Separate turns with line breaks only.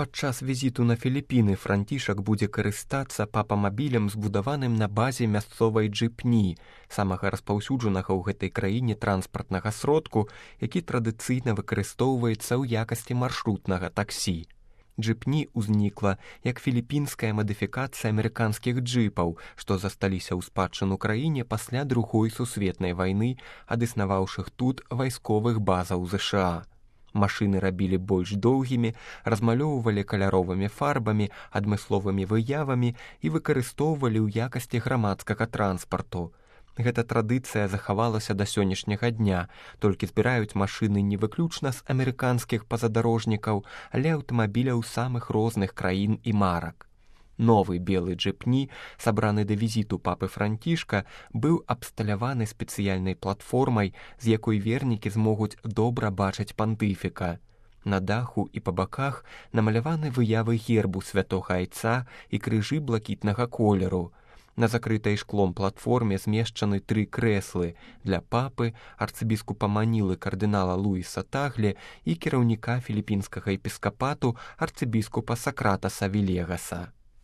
Падчас візіту на Філіпіны Францішак будзе карыстацца папамабілем, збудаваным на базе мясцовай джыпні, самага распаўсюджанага ў гэтай краіне транспартнага сродку, які традыцыйна выкарыстоўваецца ў якасці маршрутнага таксі. Джыпні ўзнікла як філіпінская мадыфікацыя амерыканскіх джыпаў, што засталіся ў спадчыну краіне пасля Другой сусветнай вайны ад існаваўшых тут вайсковых базаў ЗША. Машыны рабілі больш доўгімі, размалёўвалі каляровымі фарбамі, адмысловымі выявамі і выкарыстоўвалі ў якасці грамадскага транспарту. Гэта традыцыя захавалася да сённяшняга дня, толькі збіраюць машыны не выключна з амерыканскіх пазадарожнікаў, але аўтамабіляў самых розных краін і марак. Новы белы джыпні, сабраны да візіту папы Францішка, быў абсталяваны спецыяльнай платформай, з якой вернікі змогуць добра бачыць пантыфіка. На даху і па баках намаляваны выявы гербу святога айца і крыжы блакітнага колеру. На закрытай шклом платформе змешчаны 3 крэслы для папы, арцыбіскупа Манілы кардынала Луіса Таглі і кіраўніка філіпінскага епіскапату арцыбіскупа Сакратаса Вілегаса.